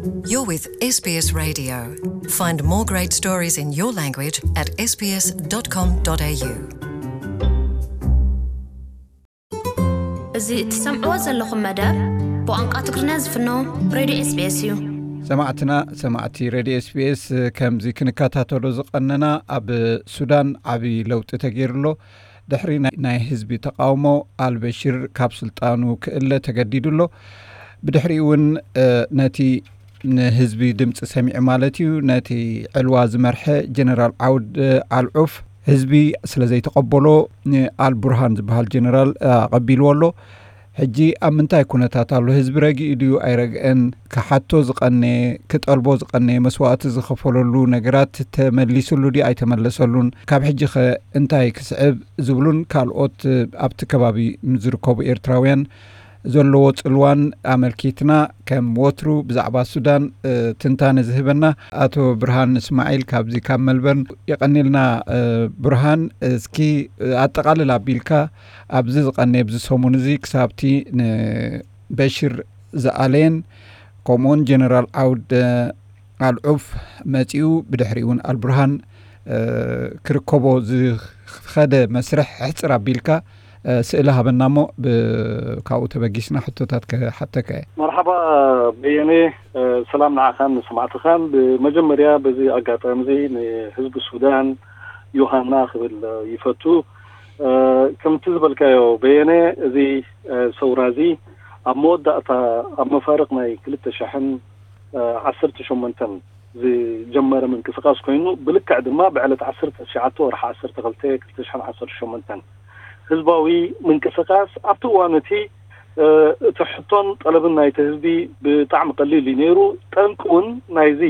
You're with S B S Radio. Find more great stories in your language at S B S dot com dot A U. እዚ እትሰምዕዎ ዘለኹም መደብ ብቋንቋ ትግርኛ ዝፍኖ ሬድዮ ኤስቢኤስ እዩ። ሰማዕትና፣ ሰማዕቲ ሬድዮ ኤስቢኤስ፣ ከምዚ ክንከታተሎ ዝቐነና፣ ኣብ ሱዳን ዓቢ ለውጢ ተገይሩ ኣሎ። ድሕሪ ናይ ህዝቢ ተቃውሞ፣ ኣልበሽር ካብ ስልጣኑ ክእለ ተገዲዱ ኣሎ። ብድሕሪኡ እውን ነቲ ንህዝቢ ድምፂ ሰሚዑ ማለት እዩ፣ ነቲ ዕልዋ ዝመርሐ ጀነራል ዓውድ ኣልዑፍ ህዝቢ ስለ ዘይተቐበሎ፣ ኣልቡርሃን ዝበሃል ጀነራል ኣቐቢልዎ ኣሎ። ሕጂ ኣብ ምንታይ ኩነታት ኣሎ? ህዝቢ ረጊኡ ድዩ ኣይረግአን? ክሓቶ ዝቐነየ፣ ክጠልቦ ዝቐነየ፣ መስዋእቲ ዝኸፈለሉ ነገራት ተመሊስሉ ድዩ ኣይተመለሰሉን? ካብ ሕጂ ኸ እንታይ ክስዕብ ዝብሉን ካልኦት ኣብቲ ከባቢ ዝርከቡ ኤርትራውያን ዘለዎ ጽልዋን ኣመልኪትና፣ ከም ወትሩ ብዛዕባ ሱዳን ትንታነ ዝህበና ኣቶ ብርሃን እስማዒል ካብዚ ካብ መልበርን የቐኒልና። ብርሃን፣ እስኪ ኣጠቓልል ኣቢልካ፣ ኣብዚ ዝቐነየ፣ ኣብዚ ሰሙን እዚ ክሳብቲ ንበሽር ዝኣለየን፣ ከምኡውን ጀነራል ዓውድ ኣልዑፍ መጺኡ፣ ብድሕሪኡ እውን ኣልቡርሃን ክርከቦ ዝኸደ መስርሕ ሕጽር ኣቢልካ ስእሊ ሃበና እሞ፣ ካብኡ ተበጊስና ሕቶታት ክሓተካ እየ። መርሓባ በየነ፣ ሰላም ንዓኻን ንሰማዕትኻን። ብመጀመርያ በዚ ኣጋጣሚ እዚ ንህዝቢ ሱዳን ዮሃና ክብል ይፈቱ። ከምቲ ዝበልካዮ በየነ፣ እዚ ሰውራ እዚ ኣብ መወዳእታ፣ ኣብ መፋርቕ ናይ ክልተ ሽሕን ዓሰርተ ሸሞንተን ዝጀመረ ምንቅስቃስ ኮይኑ፣ ብልክዕ ድማ ብዕለት ዓሰርተ ትሽዓተ ወርሒ ዓሰርተ ክልተ ክልተ ሽሕን ዓሰርተ ሸሞንተን ህዝባዊ ምንቅስቃስ ኣብቲ እዋን እቲ እቲ ሕቶን ጠለብን ናይቲ ህዝቢ ብጣዕሚ ቀሊል እዩ ነይሩ። ጠንቂ እውን ናይዚ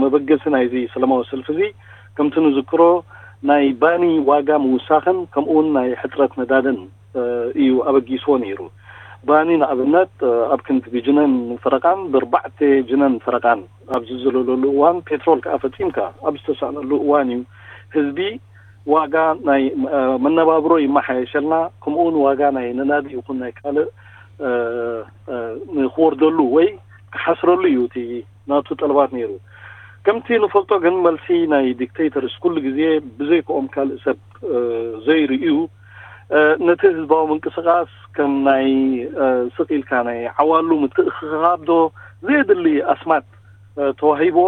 መበገሲ ናይዚ ሰላማዊ ሰልፊ እዚ ከምቲ ንዝክሮ ናይ ባኒ ዋጋ ምውሳኽን ከምኡ እውን ናይ ሕፅረት ነዳድን እዩ ኣበጊስዎ ነይሩ። ባኒ ንኣብነት ኣብ ክንዲ ብጅነን ፈረቃን ብርባዕተ ጅነን ፈረቃን ኣብ ዝዝለለሉ እዋን ፔትሮል ከዓ ፈፂምካ ኣብ ዝተሳእነሉ እዋን እዩ ህዝቢ ዋጋ ናይ መነባብሮ ይመሓየሸልና፣ ከምኡውን ዋጋ ናይ ነናዲ ይኹን ናይ ካልእ ንክወርደሉ ወይ ክሓስረሉ እዩ እቲ ናቱ ጠለባት ነይሩ። ከምቲ ንፈልጦ ግን መልሲ ናይ ዲክቴተርስ ኩሉ ግዜ ብዘይክኦም ካልእ ሰብ ዘይርእዩ፣ ነቲ ህዝባዊ ምንቅስቃስ ከም ናይ ስቕ ኢልካ ናይ ዓዋሉ ምትእኽኻብ ዶ ዘየድሊ ኣስማት ተዋሂብዎ፣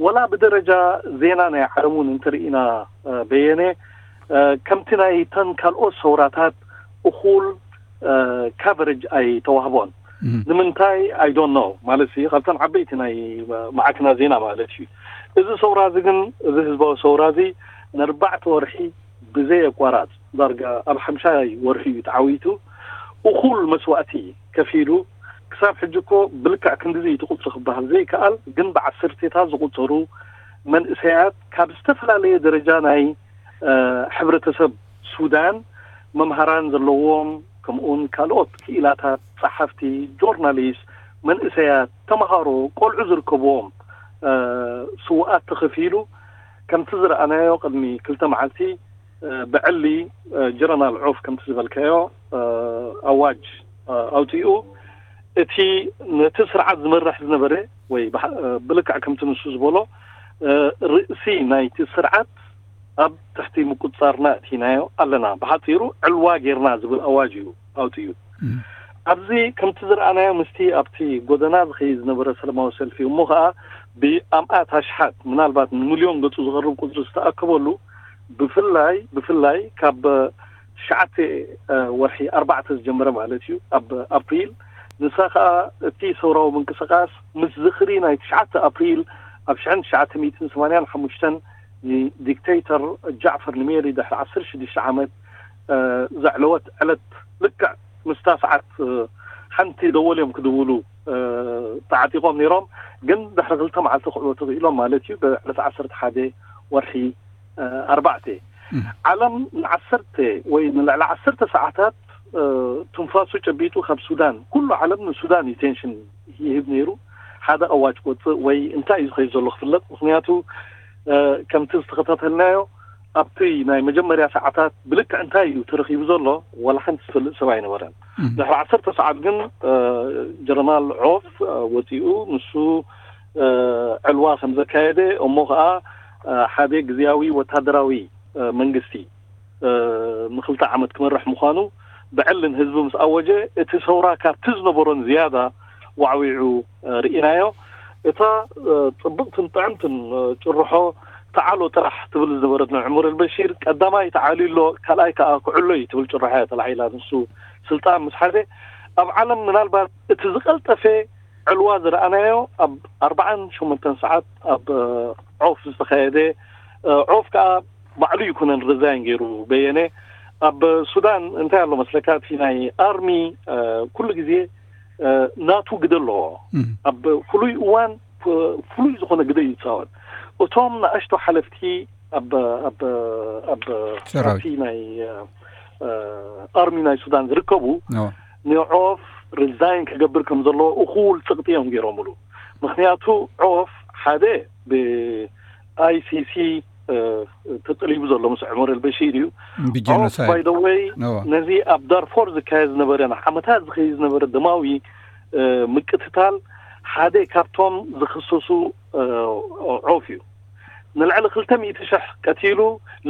ወላ ብደረጃ ዜና ናይ ዓለም እውን እንተርኢና በየነ፣ ከምቲ ናይ ተን ካልኦት ሰውራታት እኹል ካቨሬጅ ኣይተዋህቦን። ንምንታይ? I don't know። ማለት ሲ ካብተን ዓበይቲ ናይ ማዕክና ዜና ማለት እዩ። እዚ ሰውራ እዚ ግን፣ እዚ ህዝባዊ ሰውራ እዚ ንኣርባዕተ ወርሒ ብዘይ ኣቋራጽ ዳርጋ ኣብ ሓምሻይ ወርሒ እዩ ተዓዊቱ። እኹል መስዋእቲ ከፊሉ። ክሳብ ሕጂ እኮ ብልክዕ ክንድዚ እዩ እቲ ቁፅሪ ክበሃል ዘይከኣል፣ ግን ብዓሰርቴታት ዝቁፀሩ መንእሰያት ካብ ዝተፈላለየ ደረጃ ናይ ሕብረተሰብ ሱዳን፣ መምሃራን ዘለዎም፣ ከምኡውን ካልኦት ክኢላታት፣ ጸሓፍቲ፣ ጆርናሊስት፣ መንእሰያት፣ ተምሃሮ፣ ቆልዑ ዝርከብዎም ስውኣት ተኸፊሉ። ከምቲ ዝረኣናዮ ቅድሚ ክልተ መዓልቲ ብዕሊ ጀረናል ዖፍ ከምቲ ዝበልካዮ ኣዋጅ ኣውፂኡ። እቲ ነቲ ስርዓት ዝመርሕ ዝነበረ ወይ ብልክዕ ከምቲ ንሱ ዝበሎ ርእሲ ናይቲ ስርዓት ኣብ ትሕቲ ምቁፅፃርና እቲናዮ ኣለና፣ ብሓፂሩ ዕልዋ ጌርና ዝብል ኣዋጅ እዩ ኣውፂኡ። ኣብዚ ከምቲ ዝረኣናዮ ምስቲ ኣብቲ ጎደና ዝኸይድ ዝነበረ ሰላማዊ ሰልፊ እሞ ከዓ ብኣምኣት ኣሽሓት ምናልባት ንሚልዮን ገፁ ዝቐርብ ቁፅሪ ዝተኣከበሉ ብፍላይ ብፍላይ ካብ ትሽዓተ ወርሒ ኣርባዕተ ዝጀመረ ማለት እዩ ኣብ ኣፕሪል ንሳ ከዓ እቲ ሰውራዊ ምንቅስቃስ ምስ ዝኽሪ ናይ ትሽዓተ ኣፕሪል ኣብ ሽሕን ትሽዓተ ሚእትን ሰማንያን ሓሙሽተን ንዲክተይተር ጃዕፈር ንሜሪ ድሕሪ ዓሰርተ ሽዱሽተ ዓመት ዘዕለወት ዕለት ልክዕ ምስታ ሰዓት ሓንቲ ደወል እዮም ክድውሉ ተዓጢቆም ነይሮም። ግን ድሕሪ ክልተ መዓልቲ ክዕወቱ ክኢሎም ማለት እዩ። ብዕለት ዓሰርተ ሓደ ወርሒ ኣርባዕተ ዓለም ንዓሰርተ ወይ ንልዕሊ ዓሰርተ ሰዓታት ትንፋሱ ጨቢጡ ካብ ሱዳን ኩሉ ዓለም ንሱዳን ኢቴንሽን ይህብ ነይሩ። ሓደ ኣዋጅ ክወፅእ ወይ እንታይ እዩ ዝኸይድ ዘሎ ክፍለጥ። ምክንያቱ ከምቲ ዝተኸታተልናዮ ኣብቲ ናይ መጀመርያ ሰዓታት ብልክዕ እንታይ እዩ ተረኺቡ ዘሎ ዋላ ሓንቲ ዝፈልጥ ሰብ ኣይነበረን። ድሕሪ ዓሰርተ ሰዓት ግን ጀረናል ዖፍ ወፂኡ። ንሱ ዕልዋ ከም ዘካየደ፣ እሞ ከዓ ሓደ ግዝያዊ ወታደራዊ መንግስቲ ንክልተ ዓመት ክመርሕ ምዃኑ ብዕልን ህዝቢ ምስ ኣወጀ፣ እቲ ሰውራ ካብቲ ዝነበሮን ዝያዳ ዋዕዊዑ ርኢናዮ። እታ ጽብቕትን ጥዕምትን ጭርሖ፣ ተዓሎ ጥራሕ ትብል ዝነበረት ንዑመር ኣልበሺር፣ ቀዳማይ ተዓልዩ ኣሎ፣ ካልኣይ ከዓ ክዕሎ እዩ ትብል ጭርሖ እያ ተላዒላ። ንሱ ስልጣን ምስ ሓዘ፣ ኣብ ዓለም ምናልባት እቲ ዝቐልጠፈ ዕልዋ ዝረኣናዮ ኣብ ኣርባዓን ሸሞንተን ሰዓት ኣብ ዖፍ ዝተኻየደ፣ ዖፍ ከዓ ባዕሉ ይኩነን ርዛይን ገይሩ በየነ። ኣብ ሱዳን እንታይ ኣሎ መስለካ፣ እቲ ናይ ኣርሚ ኩሉ ግዜ ናቱ ግደ ኣለዎ። ኣብ ፍሉይ እዋን ፍሉይ ዝኾነ ግደ እዩ ዝፃወት። እቶም ንኣሽቶ ሓለፍቲ ኣብ ኣብ ኣብ ኣብቲ ናይ ኣርሚ ናይ ሱዳን ዝርከቡ ንዖፍ ሪዛይን ክገብር ከም ዘለዎ እኹል ጽቕጢ እዮም ገይሮምሉ። ምክንያቱ ዖፍ ሓደ ብኣይሲሲ ተጠሊቡ ዘሎ ምስ ዑመር ኣልበሺር እዩ። ዖፍ ባይ ደ ወይ ነዚ ኣብ ዳርፎር ዝካየድ ዝነበረ ንዓመታት ዝኸይድ ዝነበረ ደማዊ ምቅትታል ሓደ ካብቶም ዝኽሰሱ ዖፍ እዩ። ንልዕሊ ክልተ ሚእቲ ሽሕ ቀቲሉ፣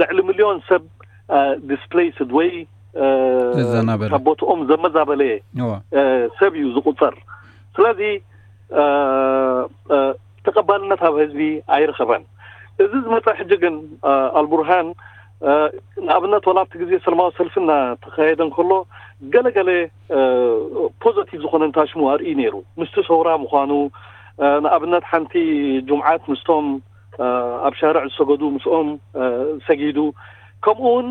ልዕሊ ሚልዮን ሰብ ዲስፕሌይስድ ወይ ካብ ቦትኦም ዘመዛበለ ሰብ እዩ ዝቁፀር። ስለዚ ተቐባልነት ኣብ ህዝቢ ኣይረኸበን። እዚ ዝመፀ ሕጂ ግን ኣልቡርሃን ንኣብነት ወላ ኣብቲ ግዜ ሰለማዊ ሰልፊ እናተኻየደ እንከሎ ገለገለ ፖዘቲቭ ዝኾነ እንታሽሙ ኣርኢ ነይሩ። ምስቲ ሰውራ ምዃኑ ንኣብነት ሓንቲ ጁምዓት ምስቶም ኣብ ሻርዕ ዝሰገዱ ምስኦም ሰጊዱ፣ ከምኡ እውን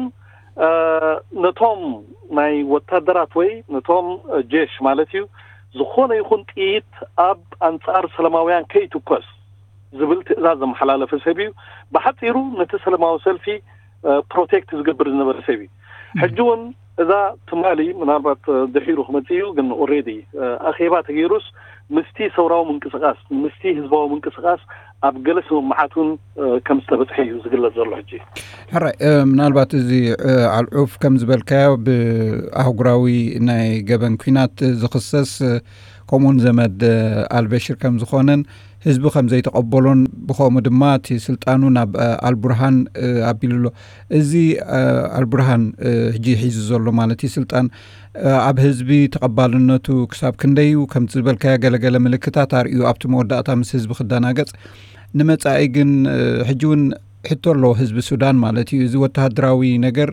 ነቶም ናይ ወታደራት ወይ ነቶም ጀሽ ማለት እዩ ዝኾነ ይኹን ጥይት ኣብ ኣንጻር ሰላማውያን ከይትኮስ ዝብል ትእዛዝ ዘመሓላለፈ ሰብ እዩ። ብሓፂሩ ነቲ ሰላማዊ ሰልፊ ፕሮቴክት ዝገብር ዝነበረ ሰብ እዩ። ሕጂ እውን እዛ ትማሊ ምናልባት ድሒሩ ክመፅእ እዩ፣ ግን ኦሬዲ ኣኼባ ተገይሩስ ምስቲ ሰውራዊ ምንቅስቃስ ምስቲ ህዝባዊ ምንቅስቃስ ኣብ ገለ ስምምዓት እውን ከም ዝተበፅሐ እዩ ዝግለፅ ዘሎ። ሕጂ ሕራይ ምናልባት እዚ ኣልዑፍ ከም ዝበልካዮ ብኣህጉራዊ ናይ ገበን ኲናት ዝኽሰስ ከምኡውን ዘመድ ኣልበሽር ከም ዝኾነን ህዝቢ ከም ዘይተቐበሎን ብኸምኡ ድማ እቲ ስልጣኑ ናብ ኣልቡርሃን ኣቢሉ ኣሎ። እዚ ኣልቡርሃን ሕጂ ሒዙ ዘሎ ማለት እዩ ስልጣን ኣብ ህዝቢ ተቐባልነቱ ክሳብ ክንደይ እዩ? ከምቲ ዝበልካዮ ገለገለ ምልክታት ኣርእዩ ኣብቲ መወዳእታ ምስ ህዝቢ ክደናገጽ። ንመጻኢ ግን ሕጂ እውን ሕቶ ኣለዎ ህዝቢ ሱዳን ማለት እዩ። እዚ ወተሃደራዊ ነገር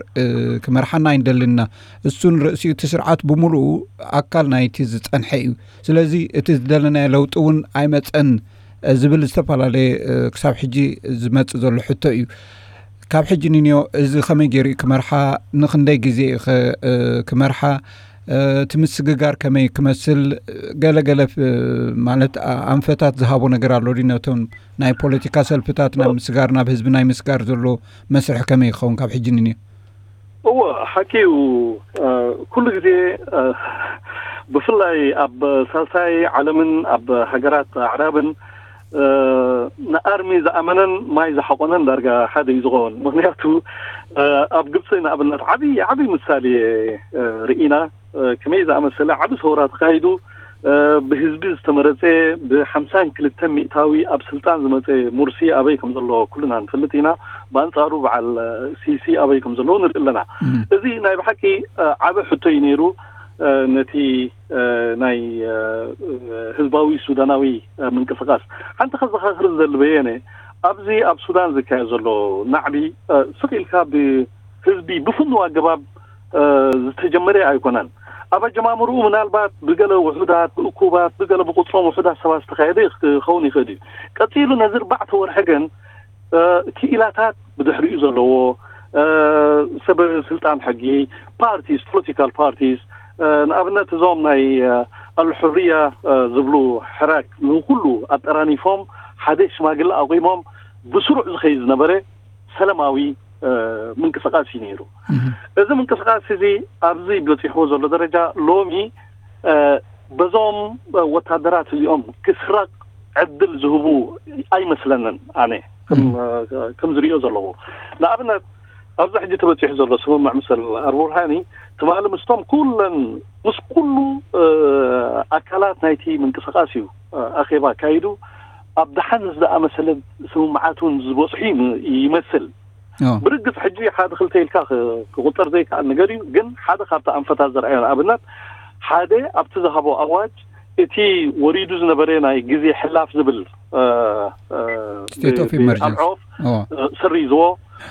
ክመርሓና ኣይንደልን ኢና። እሱን ርእሲኡ እቲ ስርዓት ብምሉኡ ኣካል ናይቲ ዝጸንሐ እዩ። ስለዚ እቲ ዝደለናዮ ለውጢ እውን ኣይመጸን ዝብል ዝተፈላለየ ክሳብ ሕጂ ዝመጽእ ዘሎ ሕቶ እዩ። ካብ ሕጂ ንንዮ እዚ ከመይ ገይሩ እዩ ክመርሓ? ንክንደይ ግዜ እዩ ክመርሓ? እቲ ምስግጋር ከመይ ክመስል? ገለገለ ማለት ኣንፈታት ዝሃቦ ነገር ኣሎ ድዩ? ነቶም ናይ ፖለቲካ ሰልፍታት ናብ ምስጋር፣ ናብ ህዝቢ ናይ ምስጋር ዘሎ መስርሕ ከመይ ይኸውን ካብ ሕጂ ንንዮ? እወ፣ ሓቂ እዩ። ኩሉ ግዜ ብፍላይ ኣብ ሳልሳይ ዓለምን ኣብ ሃገራት ኣዕራብን ንኣርሚ ዝኣመነን ማይ ዝሓቆነን ዳርጋ ሓደ እዩ ዝኸውን። ምክንያቱ ኣብ ግብፂ ንኣብነት ዓብዪ ዓብዪ ምሳሌ ርኢና። ከመይ ዝኣመሰለ ዓቢ ሰውራ ተኻይዱ፣ ብህዝቢ ዝተመረፀ፣ ብሓምሳን ክልተን ሚእታዊ ኣብ ስልጣን ዝመፀ ሙርሲ ኣበይ ከም ዘሎ ኩልና ንፈልጥ ኢና። ብኣንፃሩ በዓል ሲሲ ኣበይ ከም ዘለዎ ንርኢ ኣለና። እዚ ናይ ብሓቂ ዓቢ ሕቶ እዩ ነይሩ። ነቲ ናይ ህዝባዊ ሱዳናዊ ምንቅስቃስ ሓንቲ ከዘኻኽር ዝደሊ በየነ፣ ኣብዚ ኣብ ሱዳን ዝካየድ ዘሎ ናዕቢ ስቕ ኢልካ ብህዝቢ ብፍኑው ኣገባብ ዝተጀመረ ኣይኮነን። ኣብ ኣጀማምርኡ ምናልባት ብገለ ውሑዳት፣ ብእኩባት፣ ብገለ ብቁፅሮም ውሑዳት ሰባት ዝተኻየደ ክኸውን ይኽእል እዩ። ቀፂሉ ነዚ ኣርባዕተ ወርሒ ግን ክኢላታት ብድሕሪኡ ዘለዎ ሰብ ስልጣን ሕጊ፣ ፓርቲስ፣ ፖለቲካል ፓርቲስ፣ ንኣብነት እዞም ናይ ኣልሑርያ ዝብሉ ሕራክ ንኩሉ ኣጠራኒፎም ሓደ ሽማግለ ኣቑሞም ብስሩዕ ዝኸይድ ዝነበረ ሰላማዊ ምንቅስቃስ እዩ ነይሩ። እዚ ምንቅስቃስ እዚ ኣብዚ በፂሕዎ ዘሎ ደረጃ ሎሚ በዞም ወታደራት እዚኦም ክስረቅ ዕድል ዝህቡ ኣይመስለንን። ኣነ ከም ዝሪኦ ዘለዎ ንኣብነት ኣብዚ ሕጂ ተበፂሑ ዘሎ ስምምዕ ምስል ኣልቡርሃኒ ትማሊ ምስቶም ኩለን ምስ ኩሉ ኣካላት ናይቲ ምንቅስቃስ እዩ ኣኼባ ኣካይዱ። ኣብ ደሓን ዝኣመሰለ ስምምዓት እውን ዝበፅሑ ይም- ይመስል። ብርግፅ ሕጂ ሓደ ክልተ ኢልካ ክ- ክቁጠር ዘይከኣል ነገር እዩ። ግን ሓደ ካብቲ ኣንፈታት ዘርኣዮ ንኣብነት ሓደ ኣብቲ ዝሃቦ ኣዋጅ እቲ ወሪዱ ዝነበረ ናይ ግዜ ሕላፍ ዝብል እ፣ እ፣ State of ብ- ብ- Emergency. ኣብ ዖፍ እ፣ ስሪዝዎ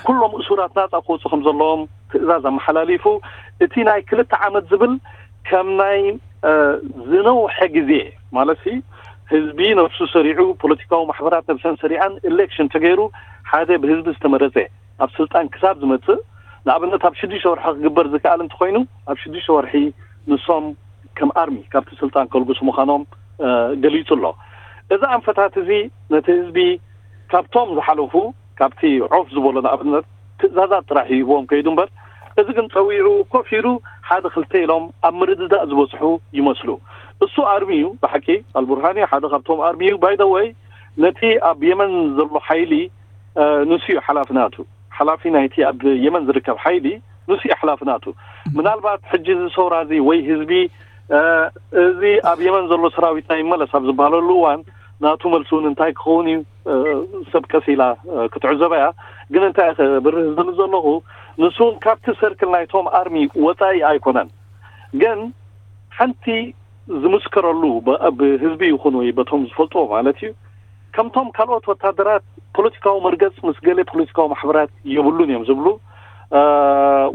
ኩሎም እሱራት ናፃ ክወፁ ከም ዘለዎም ትእዛዝ ኣመሓላሊፉ። እቲ ናይ ክልተ ዓመት ዝብል ከም ናይ እ፣ ዝነውሐ ግዜ ማለት ሲ ህዝቢ ነብሱ ሰሪዑ፣ ፖለቲካዊ ማሕበራት ነብሰን ሰሪዐን፣ ኤሌክሽን ተገይሩ ሓደ ብህዝቢ ዝተመረፀ ኣብ ስልጣን ክሳብ ዝመፅእ፣ ንኣብነት ኣብ ሽዱሽተ ወርሒ ክግበር ዝከኣል እንተኮይኑ ኣብ ሽዱሽተ ወርሒ ንሶም ከም ኣርሚ ካብቲ ስልጣን ከልግሱ ምዃኖም እ፣ ገሊጹ ኣሎ። እዚ ኣንፈታት እዚ ነቲ ህዝቢ ካብቶም ዝሓለፉ ካብቲ ዖፍ ዝበሎ ንኣብነት ትእዛዛት ጥራሕ ይህቦም ከይዱ እምበር፣ እዚ ግን ጸዊዑ ኮፍ ኢሉ ሓደ ክልተ ኢሎም ኣብ ምርድዳእ ዝበጽሑ ይመስሉ። እሱ ኣርሚ እዩ ብሓቂ፣ ኣልቡርሃኒ ሓደ ካብቶም ኣርሚ እዩ። ባይደወይ ነቲ ኣብ የመን ዘሎ ሓይሊ እ፣ ንሱ እዩ ሓላፊ ናቱ። ሓላፊ ናይቲ ኣብ የመን ዝርከብ ሓይሊ ንሱ እዩ ሓላፊ ናቱ። ምናልባት ሕጂ እዚ ሰውራ እዚ ወይ ህዝቢ እ፣ እዚ ኣብ የመን ዘሎ ሰራዊትና ይመለስ ኣብ ዝበሃለሉ እዋን ናቱ መልሲ እውን እንታይ ክኸውን እዩ እ፣ ሰብ ቀስ ኢላ እ፣ ክትዕዘባ እያ። ግን እንታይ እየ ክብርህ ዝብል ዘለኹ ንሱ እውን ካብቲ ሰርክል ናይቶም ኣርሚ ወፃኢ ኣይኮነን። ግን ሓንቲ ዝምስከረሉ ብ- ብህዝቢ ይኹን ወይ በቶም ዝፈልጥዎ ማለት እዩ ከምቶም ካልኦት ወታደራት ፖለቲካዊ መርገፅ ምስ ገለ ፖለቲካዊ ማሕበራት የብሉን እዮም ዝብሉ እ፣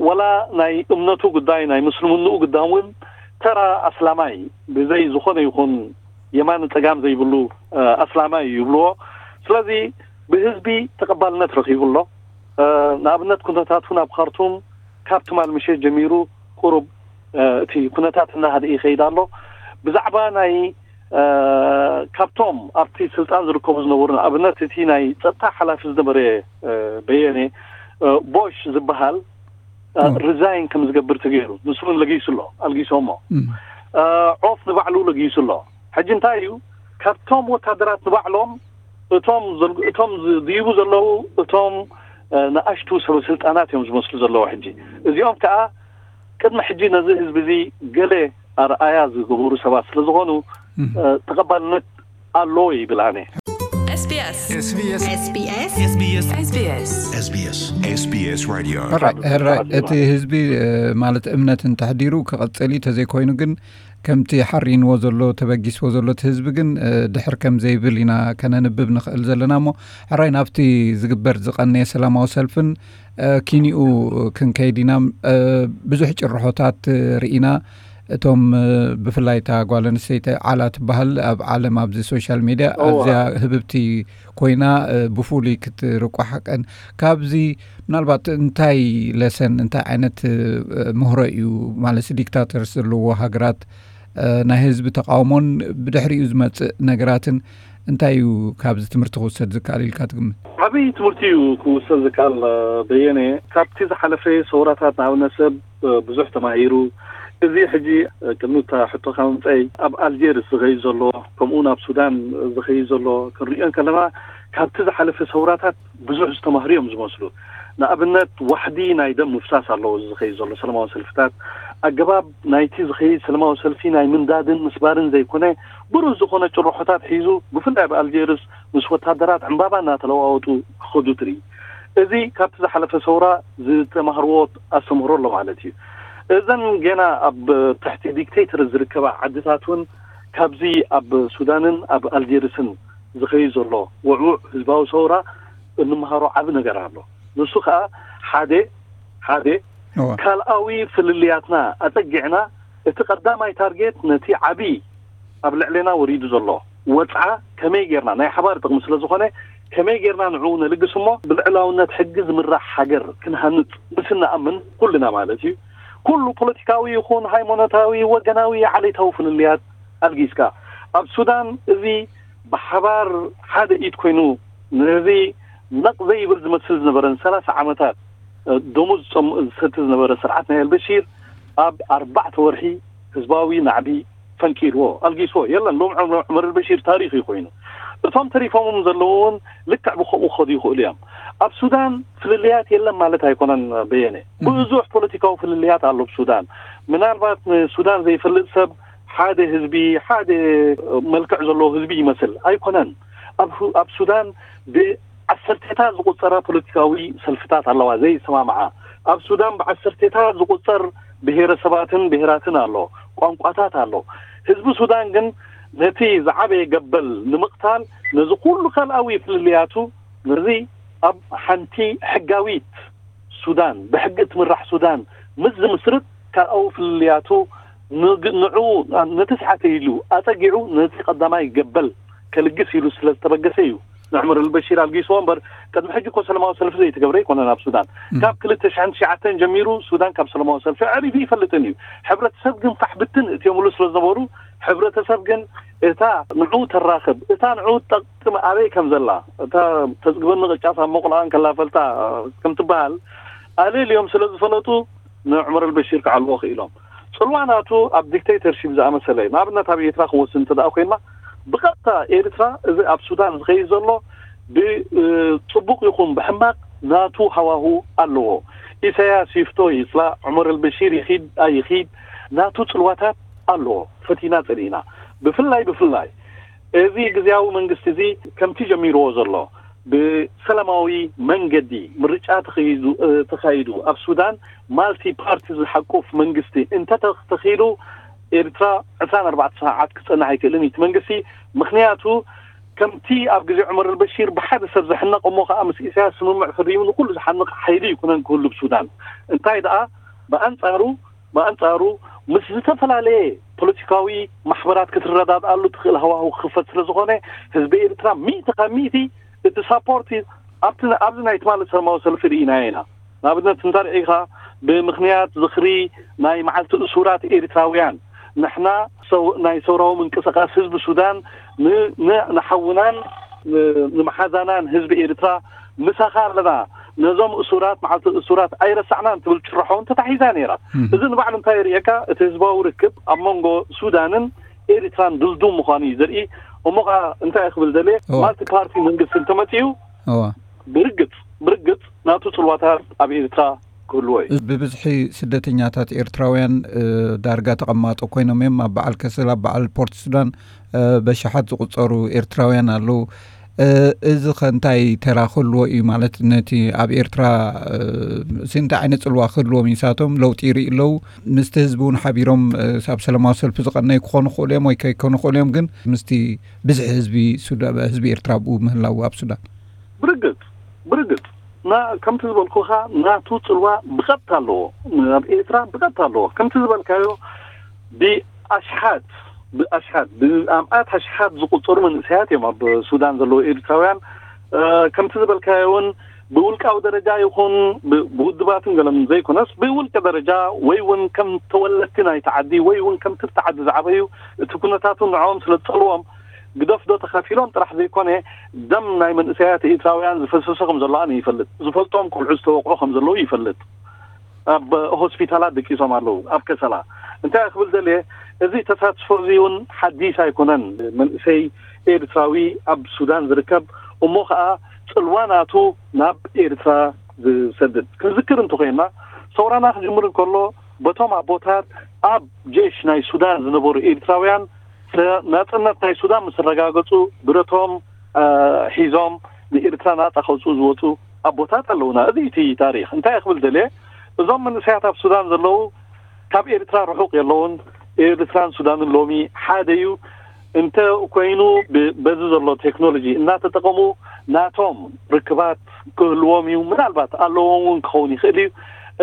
ወላ ናይ እምነቱ ጉዳይ ናይ ምስልምንኡ ጉዳይ እውን ተራ ኣስላማይ ብዘይ ዝኾነ ይኹን የማን ፀጋም ዘይብሉ እ፣ ኣስላማይ እዩ ይብልዎ። ስለዚ ብህዝቢ ተቐባልነት ረኺቡ ኣሎ። እ፣ ንኣብነት ኩነታት እውን ኣብ ካርቱም ካብ ትማል ምሸት ጀሚሩ ቁሩብ እ፣ እቲ ኩነታት እናሃደ ይኸይድ ኣሎ። ብዛዕባ ናይ እ፣ ካብቶም ኣብቲ ስልጣን ዝርከቡ ዝነበሩ ንኣብነት እቲ ናይ ፀጥታ ሓላፊ ዝነበረ እ፣ በየነ እ፣ ቦሽ ዝበሃል እ፣ ሪዛይን ከም ዝገብር ተገይሩ ንሱ እውን ለጊሱ ኣሎ ኣልጊሶሞ እ፣ ዖፍ ንባዕሉ ለጊሱ ኣሎ። ሕጂ እንታይ እዩ ካብቶም ወታደራት ንባዕሎም እቶም ዘል- እቶም ዝድይቡ ዘለዉ እቶም እ፣ ንኣሽቱ ሰበ ስልጣናት እዮም ዝመስሉ ዘለዉ። ሕጂ እዚኦም ከዓ ቅድሚ ሕጂ ነዚ ህዝቢ እዚ ገለ ኣርኣያ ዝገበሩ ሰባት ስለ ዝኾኑ እ፣ ተቐባልነት ኣለዎ ይብል ኣነ። SBS SBS SBS SBS SBS SBS SBS ሕራይ ሕራይ እቲ ህዝቢ እ፣ ማለት እምነት እንተሕዲሩ ክቐፅል እዩ። ተዘይኮይኑ ግን ከምቲ ሓሪንዎ ዘሎ ተበጊስዎ ዘሎ እቲ ህዝቢ ግን እ፣ ድሕር ከም ዘይብል ኢና ከነንብብ ንኽእል ዘለና። እሞ ሕራይ ናብቲ ዝግበር ዝቐነየ ሰላማዊ ሰልፍን እ፣ ኪኒኡ ክንከይድ ኢና። እ፣ ብዙሕ ጭርሖታት ርኢና። እቶም እ፣ ብፍላይ እታ ጓል ኣንስተይቲ ዓላ ትበሃል ኣብ ዓለም ኣብዚ ሶሻል ሚድያ ኣዝያ ህብብቲ ኮይና እ፣ ብፍሉይ ክትርቋሕ ቀን ካብዚ ምናልባት እንታይ ለሰን እንታይ ዓይነት እ፣ ምህሮ እዩ ማለት ዲክታተርስ ዘለዎ ሃገራት እ፣ ናይ ህዝቢ ተቃውሞን ብድሕሪኡ ዝመፅእ ነገራትን እንታይ እዩ ካብዚ ትምህርቲ ክውሰድ ዝከኣል ኢልካ ትግምት? ዓብዪ ትምህርቲ እዩ ክውሰድ ዝከኣል እ፣ በየነ። ካብቲ ዝሓለፈ ሰውራታት ንኣብነት ሰብ እ፣ ብዙሕ ተማሂሩ። እዚ ሕጂ እ፣ ቅድሚ እታ ሕቶኻ ምምፀይ ኣብ ኣልጀርስ ዝኸይድ ዘሎ ከምኡ እውን ኣብ ሱዳን ዝኸይድ ዘሎ ክንሪኦ ከለና ካብቲ ዝሓለፈ ሰውራታት ብዙሕ ዝተማህሩ እዮም ዝመስሉ። ንኣብነት ዋሕዲ ናይ ደም ምፍሳስ ኣለዎ እዚ ዝኸይድ ዘሎ ሰላማዊ ሰልፍታት። ኣገባብ ናይቲ ዝኸይድ ሰላማዊ ሰልፊ ናይ ምንዳድን ምስባርን ዘይኮነ ብሩህ ዝኾነ ጭርሖታት ሒዙ ብፍላይ ኣብ ኣልጀርስ ምስ ወታደራት ዕምባባ እናተለዋወጡ ክኸዱ ትርኢ። እዚ ካብቲ ዝሓለፈ ሰውራ ዝተማህርዎ ኣስተምህሮ ኣሎ ማለት እዩ። እዘን ገና ኣብ ትሕቲ ዲክቴተር ዝርከባ ዓድታት እውን ካብዚ ኣብ ሱዳንን ኣብ ኣልጀርስን ዝኸይድ ዘሎ ውዕውዕ ህዝባዊ ሰውራ እንመሃሮ ዓቢ ነገር ኣሎ። ንሱ ከዓ ሓደ ሓደ ካልኣዊ ፍልልያትና ኣፀጊዕና እቲ ቀዳማይ ታርጌት ነቲ ዓቢ ኣብ ልዕሌና ወሪዱ ዘሎ ወፅዓ ከመይ ጌርና ናይ ሓባር ጥቕሚ ስለ ዝኾነ ከመይ ጌርና ንዕኡ ነልግስ እሞ ብልዕላውነት ሕጊ ዝምራሕ ሃገር ክንሃንፅ ምስ እንኣምን ኩልና ማለት እዩ ኩሉ ፖለቲካዊ ይኹን ሃይማኖታዊ ወገናዊ ዓሌታዊ ፍልልያት ኣልጊስካ ኣብ ሱዳን እዚ ብሓባር ሓደ ኢድ ኮይኑ ነዚ ነቕ ዘይብል ዝመስል ዝነበረን ሰላሳ ዓመታት ደሙ ዝሰቲ ዝነበረ ስርዓት ናይ ኣልበሺር ኣብ ኣርባዕተ ወርሒ ህዝባዊ ናዕቢ ፈንቂልዎ ኣልጊስዎ የለን ሎም ዑመር ኣልበሺር ታሪኽ እዩ ኮይኑ እቶም ተሪፎምም ዘለዉ እውን ልክዕ ብከምኡ ክኸዱ ይኽእሉ እዮም ኣብ ሱዳን ፍልልያት የለን ማለት ኣይኮነን በየነ ብዙሕ ፖለቲካዊ ፍልልያት ኣሎ ብሱዳን ምናልባት ንሱዳን ዘይፈልጥ ሰብ ሓደ ህዝቢ ሓደ መልክዕ ዘለዎ ህዝቢ ይመስል ኣይኮነን ኣብ ሁ- ኣብ ሱዳን ብዓሰርቴታት ዝቁጸራ ፖለቲካዊ ሰልፍታት ኣለዋ ዘይሰማምዓ። ኣብ ሱዳን ብዓሰርቴታት ዝቁጸር ብሄረሰባትን ብሄራትን ኣሎ፣ ቋንቋታት ኣሎ። ህዝቢ ሱዳን ግን ነቲ ዝዓበየ ገበል ንምቕታል፣ ነዚ ኩሉ ካልኣዊ ፍልልያቱ፣ ነዚ ኣብ ሓንቲ ሕጋዊት ሱዳን፣ ብሕጊ እትምራሕ ሱዳን ምስ ዝምስርት፣ ካልኣዊ ፍልልያቱ ንግ- ንዑ ነቲ ስሓተ ኢሉ ኣጸጊዑ ነቲ ቀዳማይ ገበል ከልግስ ኢሉ ስለ ዝተበገሰ እዩ ንዑመር ኣልበሺር ኣልጊስዎ እምበር፣ ቅድሚ ሕጂ እኮ ሰላማዊ ሰልፊ ዘይተገብረ ኣይኮነን ኣብ ሱዳን። ካብ ክልተ ሽሕን ትሽዓተን ጀሚሩ ሱዳን ካብ ሰላማዊ ሰልፊ ኣዕሪዱ ይፈልጥን እዩ። ሕብረተሰብ ግን ፋሕ ብትን እትዮምሉ ስለ ዝነበሩ፣ ሕብረተሰብ ግን እታ ንዑ ተራኽብ፣ እታ ንዑ ጠቅጥም ኣበይ ከም ዘላ፣ እታ ተጽግበኒ ቅጫስ ኣብ መቑልኣ እንከላ ፈልጣ ከም ትበሃል፣ ኣለልዮም ስለ ዝፈለጡ ንዑመር ኣልበሺር ክዓልዎ ክኢሎም። ጽልዋ ናቱ ኣብ ዲክቴተርሺፕ ዝኣመሰለ እዩ። ንኣብነት ኣብ ኤርትራ ክንወስድ እንተ ደኣ ኮይንና፣ ብቐጥታ ኤርትራ እዚ ኣብ ሱዳን ዝኸይድ ዘሎ ብጽቡቕ ይኹን ብሕማቕ ናቱ ሃዋሁ ኣለዎ። ኢሳያስ ይፍቶ ይጽላእ፣ ዑመር ኣልበሺር ይኺድ ኣይኺድ ናቱ ጽልዋታት ኣለዎ። ፈቲና ጸሊእና። ብፍላይ ብፍላይ እዚ ግዝያዊ መንግስቲ እዚ ከምቲ ጀሚርዎ ዘሎ ብሰላማዊ መንገዲ ምርጫ ተኸይዱ ተኻይዱ ኣብ ሱዳን ማልቲ ፓርቲ ዝሓቁፍ መንግስቲ እንተተኺሉ ኤርትራ ዕስራን ኣርባዕተ ሰዓት ክጸንሕ ኣይክእልን እዩ እቲ መንግስቲ። ምኽንያቱ ከምቲ ኣብ ግዜ ዑመር ኣልበሺር ብሓደ ሰብ ዝሕነቕ እሞ ከኣ ምስ ኢሳያስ ስምምዕ ፈሪሙ ንኩሉ ዝሓንቕ ሓይሊ ኣይኮነን ክህሉ ብሱዳን። እንታይ ደኣ ብኣንጻሩ ብኣንጻሩ ምስ ዝተፈላለየ ፖለቲካዊ ማሕበራት ክትረዳድኣሉ ትኽእል ሃዋህው ክኽፈት ስለ ዝኾነ ህዝቢ ኤርትራ ሚእቲ ካብ ሚእቲ እቲ ሳፖርት ኣብቲ ኣብዚ ናይ ትማሊ ሰላማዊ ሰልፊ ርኢናዮ ኢና። ንኣብነት እንተ ርኢኻ ብምኽንያት ዝኽሪ ናይ መዓልቲ እሱራት ኤርትራውያን ንሕና ናይ ሰውራዊ ምንቅስቃስ ህዝቢ ሱዳን ንሓውናን ንመሓዛናን ህዝቢ ኤርትራ ምሳኻ ኣለና፣ ነዞም እሱራት መዓልቲ እሱራት ኣይረሳዕናን ትብል ጭርሖ እውን ተታሒዛ ነይራ። እዚ ንባዕሉ እንታይ የርእየካ? እቲ ህዝባዊ ርክብ ኣብ መንጎ ሱዳንን ኤርትራን ድልዱም ምዃኑ እዩ ዘርኢ። እሞ ከዓ እንታይ ክብል ደልየ፣ ማልቲ ፓርቲ መንግስቲ እንተመፂኡ ብርግፅ ብርግፅ ናቱ ፅልዋታት ኣብ ኤርትራ ክህልዎ እዩ። ብብዝሒ ስደተኛታት ኤርትራውያን ዳርጋ ተቐማጦ ኮይኖም እዮም። ኣብ በዓል ከሰል፣ ኣብ በዓል ፖርት ሱዳን በሽሓት ዝቁጸሩ ኤርትራውያን ኣለዉ። እዚ ከ እንታይ ተራ ክህልዎ እዩ ማለት ነቲ ኣብ ኤርትራ እንታይ ዓይነት ጽልዋ ክህልዎም እዩ? ንሳቶም ለውጢ ይርኢ ኣለዉ። ምስቲ ህዝቢ እውን ሓቢሮም ኣብ ሰላማዊ ሰልፊ ዝቐነዩ ክኾኑ ክኽእሉ እዮም ወይ ከይኮኑ ክኽእሉ እዮም። ግን ምስቲ ብዝሒ ህዝቢ ሱዳ- ህዝቢ ኤርትራ ኣብኡ ምህላዉ ኣብ ሱዳን ብርግጽ ብርግጽ ና ከምቲ ዝበልኩኻ ናቱ ጽልዋ ብቐጥታ ኣለዎ። ኣብ ኤርትራ ብቐጥታ ኣለዎ። ከምቲ ዝበልካዮ ብኣሽሓት ብኣሽሓት ብኣምኣት ኣሽሓት ዝቁጸሩ መንእሰያት እዮም ኣብ ሱዳን ዘለዉ ኤርትራውያን። ከምቲ ዝበልካዮ እውን ብውልቃዊ ደረጃ ይኹን ብውድባትን ገለን ዘይኮነስ ብውልቂ ደረጃ ወይ እውን ከም ተወለድቲ ናይቲ ዓዲ ወይ እውን ከምቲ ብቲ ዓዲ ዝዓበዩ እቲ ኩነታቱ ንዕኦም ስለ ዝጸልዎም ግደፍ ዶ ተኻፊሎም ጥራሕ ዘይኮነ ደም ናይ መንእሰያት ኤርትራውያን ዝፈሰሰ ከም ዘሎ ኣነ ይፈልጥ። ዝፈልጦም ቆልዑ ዝተወቕዑ ከም ዘለዉ ይፈልጥ። ኣብ ሆስፒታላት ደቂሶም ኣለዉ ኣብ ከሰላ። እንታይ ክብል ደልየ፣ እዚ ተሳትፎ እዚ እውን ሓዲስ ኣይኮነን። መንእሰይ ኤርትራዊ ኣብ ሱዳን ዝርከብ እሞ ከዓ ፅልዋ ናቱ ናብ ኤርትራ ዝሰድድ ክንዝክር እንተኮይና ሰውራና ክጅምር እንከሎ በቶም ኣቦታት ኣብ ጀሽ ናይ ሱዳን ዝነበሩ ኤርትራውያን ናፅነት ናይ ሱዳን ምስ ኣረጋገፁ ብረቶም ሒዞም ንኤርትራ ናፃ ከውፅኡ ዝወፁ ኣቦታት ኣለውና። እዚ እቲ ታሪክ እንታይ ክብል ደልየ፣ እዞም መንእሰያት ኣብ ሱዳን ዘለዉ ካብ ኤርትራ ርሑቅ የለውን። ኤርትራን ሱዳንን ሎሚ ሓደ እዩ። እንተ ኮይኑ በዚ ዘሎ ቴክኖሎጂ እናተጠቀሙ ናቶም ርክባት ክህልዎም እዩ። ምናልባት ኣለዎም እውን ክኸውን ይኽእል እዩ።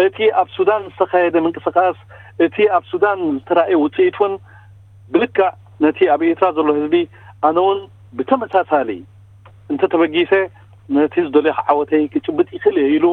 እቲ ኣብ ሱዳን ዝተኻየደ ምንቅስቃስ፣ እቲ ኣብ ሱዳን ዝተራእየ ውፅኢት እውን ብልክዕ ነቲ ኣብ ኤርትራ ዘሎ ህዝቢ ኣነ እውን ብተመሳሳሊ እንተተበጊሰ ነቲ ዝደልዮ ዓወተይ ክጭብጥ ይኽእል እየ ኢሉ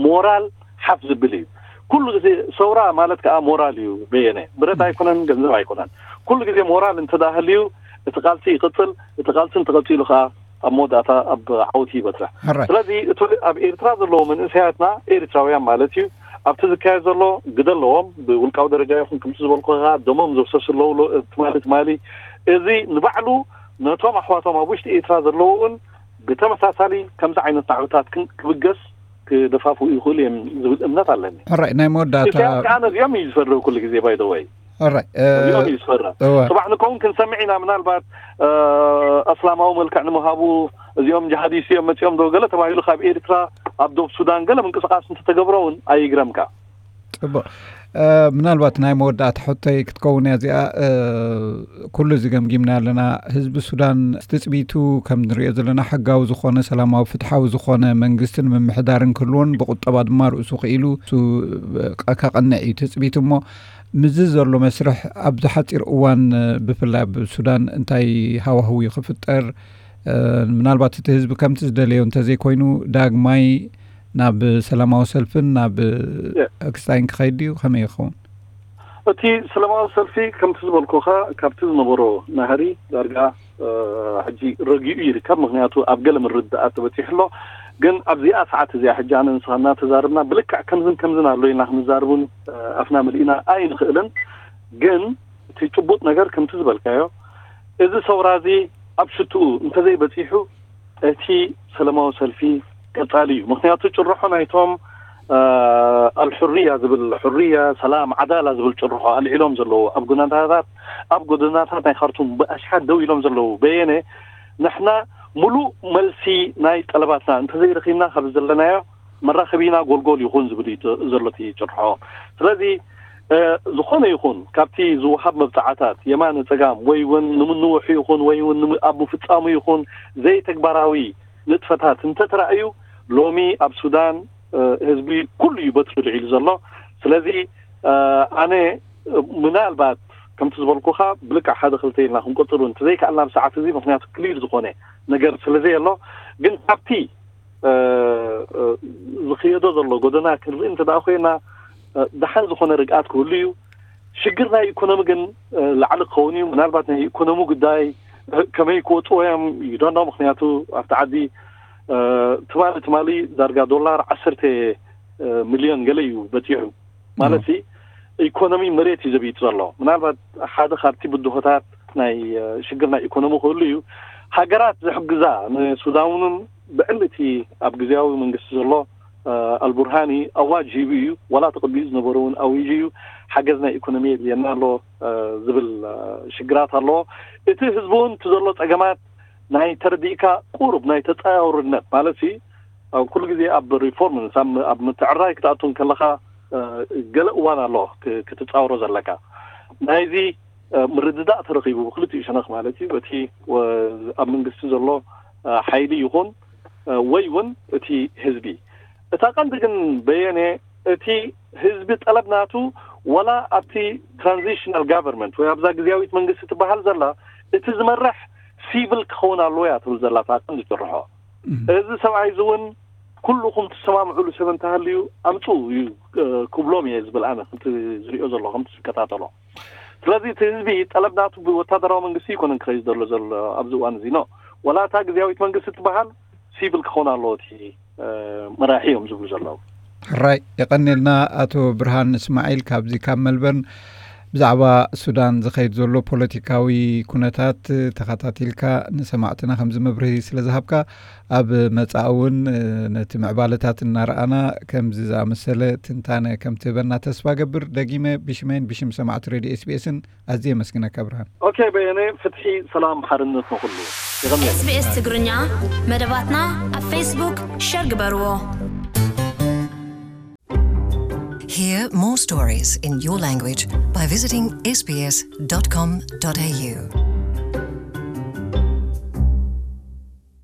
ሞራል ሓፍ ዝብል እዩ። ኩሉ ግዜ ሰውራ ማለት ከዓ ሞራል እዩ። በየነ ብረት ኣይኮነን፣ ገንዘብ ኣይኮነን። ኩሉ ግዜ ሞራል እንተደኣ ህልዩ እቲ ቃልሲ ይቕፅል። እቲ ቃልሲ እንተቐፂሉ ከዓ ኣብ መወዳእታ ኣብ ዓወት ይበፅሕ። ሕራይ። ስለዚ እቲ ኣብ ኤርትራ ዘለዉ መንእሰያትና ኤርትራውያን ማለት እዩ ኣብቲ ዝካየድ ዘሎ ግደ ኣለዎም። ብውልቃዊ ደረጃ ይኹን ከምቲ ዝበልኩ ከዓ ደሞም ዘፍሰሱ ኣለዉ። ትማሊ ትማሊ እዚ ንባዕሉ ነቶም ኣሕዋቶም ኣብ ውሽጢ ኤርትራ ዘለዉ እውን ብተመሳሳሊ ከምዚ ዓይነት ናዕብታት ክብገስ ክደፋፍኡ ይኽእሉ እዮም ዝብል እምነት ኣለኒ። ሕራይ፣ ናይ መወዳእታ ኢሳያስ ከዓ ነዚኦም እዩ ዝፈርህ ኩሉ ግዜ ባይደወይ። ኦራይ እዚኦም እዩ ዝፈርም። እወ ጽባሕ ንከውን ክንሰምዕ ኢና። ምናልባት እ፣ እስላማዊ መልክዕ ንምሃቡ እዚኦም ጅሃዲስት እዮም መጺኦም ዶ ገለ ተባሂሉ ካብ ኤርትራ ኣብ ዶብ ሱዳን ገለ ምንቅስቃስ እንተተገብሮ እውን ኣይግረምካ። ጽቡቅ። ምናልባት ናይ መወዳእታ ሕቶይ ክትከውን እያ እዚኣ። ኩሉ እዚ ገምጊምና ኣለና። ህዝቢ ሱዳን ትጽቢቱ ከም ንሪኦ ዘለና ሕጋዊ ዝኾነ ሰላማዊ ፍትሓዊ ዝኾነ መንግስትን ምምሕዳርን ክህልዎን ብቁጠባ ድማ ርእሱ ክኢሉ ከቕንዕ እዩ ትጽቢቱ። እሞ ምዚ ዘሎ መስርሕ ኣብዚ ሓፂር እዋን ብፍላይ ኣብ ሱዳን እንታይ ሃዋህው ክፍጠር፣ ምናልባት እቲ ህዝቢ ከምቲ ዝደለዮ እንተዘይኮይኑ ዳግማይ ናብ ሰላማዊ ሰልፍን ናብ ክስታይን ክኸይድ ድዩ? ከመይ ይኸውን? እቲ ሰላማዊ ሰልፊ ከምቲ ዝበልኩኻ ካብቲ ዝነበሮ ናህሪ ዳርጋ ሕጂ ረጊኡ ይርከብ። ምክንያቱ ኣብ ገለ ምርድዳኣት ተበፂሑ ኣሎ። ግን ኣብዚኣ ሰዓት እዚኣ ሕጂ ኣነ ንስኻ እናተዛርብና ብልክዕ ከምዝን ከምዝን ኣሎ ኢልና ክንዛርብን ኣፍና ምልእና ኣይንኽእልን። ግን እቲ ጭቡጥ ነገር ከምቲ ዝበልካዮ እዚ ሰውራ እዚ ኣብ ሽትኡ እንተዘይበፂሑ እቲ ሰላማዊ ሰልፊ ቀፃሊ እዩ። ምክንያቱ ጭርሖ ናይቶም ኣልሕርያ ዝብል ሕርያ ሰላም ዓዳላ ዝብል ጭርሖ ኣልዒሎም ዘለዉ ኣብ ጎደናታት ኣብ ጎደናታት ናይ ካርቱም ብኣሽሓት ደው ኢሎም ዘለዉ በየነ ንሕና ሙሉእ መልሲ ናይ ጠለባትና እንተዘይረኺብና ካብ ዘለናዮ መራኸቢና ጎልጎል ይኹን ዝብል እዩ ዘሎ እቲ ጭርሖ። ስለዚ ዝኾነ ይኹን ካብቲ ዝወሃብ መብፅዓታት የማነ ፀጋም ወይ እውን ንምንውሑ ይኹን ወይ እውን ኣብ ምፍፃሙ ይኹን ዘይተግባራዊ ንጥፈታት እንተተራእዩ ሎሚ ኣብ ሱዳን ህዝቢ ኩሉ እዩ በትሪ ልዒሉ ዘሎ። ስለዚ ኣነ ምናልባት ከምቲ ዝበልኩኻ ብልክዕ ሓደ ክልተ ኢልና ክንቆፅሩ እንተዘይከኣልና ብሰዓት እዚ ምክንያቱ ክሊር ዝኾነ ነገር ስለዘየሎ ግን ካብቲ ዝኽየዶ ዘሎ ጎደና ክንርኢ እንተ ኮይና ደሓን ዝኾነ ርግኣት ክህሉ እዩ። ሽግር ናይ ኢኮኖሚ ግን ላዕሊ ክኸውን እዩ። ምናልባት ናይ ኢኮኖሚ ጉዳይ ከመይ ክወፅዎ እዮም ይዶኖ። ምክንያቱ ኣብቲ ዓዲ ትማሊ ትማሊ ዳርጋ ዶላር ዓሰርተ ሚልዮን ገለ እዩ በፂሑ ማለት ኢኮኖሚ መሬት እዩ ዘብይጥ ዘሎ። ምናልባት ሓደ ካብቲ ብድሆታት ናይ ሽግር ናይ ኢኮኖሚ ክህሉ እዩ። ሃገራት ዝሕግዛ ንሱዳን እውን ብዕሊ እቲ ኣብ ግዜያዊ መንግስቲ ዘሎ ኣልቡርሃኒ ኣዋጅ ሂቡ እዩ። ዋላ ተቐቢኡ ዝነበሩ እውን ኣዊጁ እዩ። ሓገዝ ናይ ኢኮኖሚ የድልየና ኣሎ ዝብል ሽግራት ኣለዎ። እቲ ህዝቢ እውን እቲ ዘሎ ፀገማት ናይ ተረዲእካ ቁሩብ ናይ ተፃውርነት ማለት ኩሉ ግዜ ኣብ ሪፎርም ኣብ ምትዕራይ ክትኣቱ ከለካ ገለ እዋን ኣሎ ክትፃውሮ ዘለካ ናይዚ ምርድዳእ ተረኺቡ ብክልቲኡ ሸነኽ ማለት እዩ በቲ ኣብ መንግስቲ ዘሎ ሓይሊ ይኹን ወይ እውን እቲ ህዝቢ እታ ቀንዲ ግን በየነ እቲ ህዝቢ ጠለብ ናቱ ወላ ኣብቲ ትራንዚሽናል ጋቨርንመንት ወይ ኣብዛ ግዜያዊት መንግስቲ ትበሃል ዘላ እቲ ዝመርሕ ሲቪል ክኸውን ኣለዎ እያ ትብል ዘላ እታ ቀንዲ ጭርሖ። እዚ ሰብኣይ እዚ እውን ኩልኹም ትሰማምዑሉ ሰብ እንተሃልዩ ኣምፅኡ እዩ ክብሎም እየ ዝብል ኣነ ከምቲ ዝሪኦ ዘሎ ከምቲ ዝከታተሎ። ስለዚ እቲ ህዝቢ ጠለብ ናቱ ብወታደራዊ መንግስቲ ይኮነን ክኸይ ዘሎ ዘሎ ኣብዚ እዋን እዚ ኖ ወላ እታ ግዜያዊት መንግስቲ ትበሃል ሲቪል ክኾን ኣለዎ እቲ መራሒ እዮም ዝብሉ ዘለዉ። ሕራይ የቐኔልና ኣቶ ብርሃን እስማዒል ካብዚ ካብ መልበርን ብዛዕባ ሱዳን ዝኸይድ ዘሎ ፖለቲካዊ ኩነታት ተኸታቲልካ ንሰማዕትና ከምዚ መብርሂ ስለ ዝሃብካ ኣብ መጻኢ እውን ነቲ ምዕባለታት እናረኣና ከምዚ ዝኣመሰለ ትንታነ ከም ትህበና ተስፋ ገብር። ደጊመ ብሽመይን ብሽም ሰማዕቲ ሬድዮ ኤስቢኤስን ኣዝየ የመስግነካ ብርሃን። ኦኬ በየነ፣ ፍትሒ፣ ሰላም፣ ሓርነት ንኹሉ። ይቐንየልና። SBS ትግርኛ መደባትና ኣብ ፌስቡክ ሸር ግበርዎ። Hear more stories in your language by visiting sbs.com.au.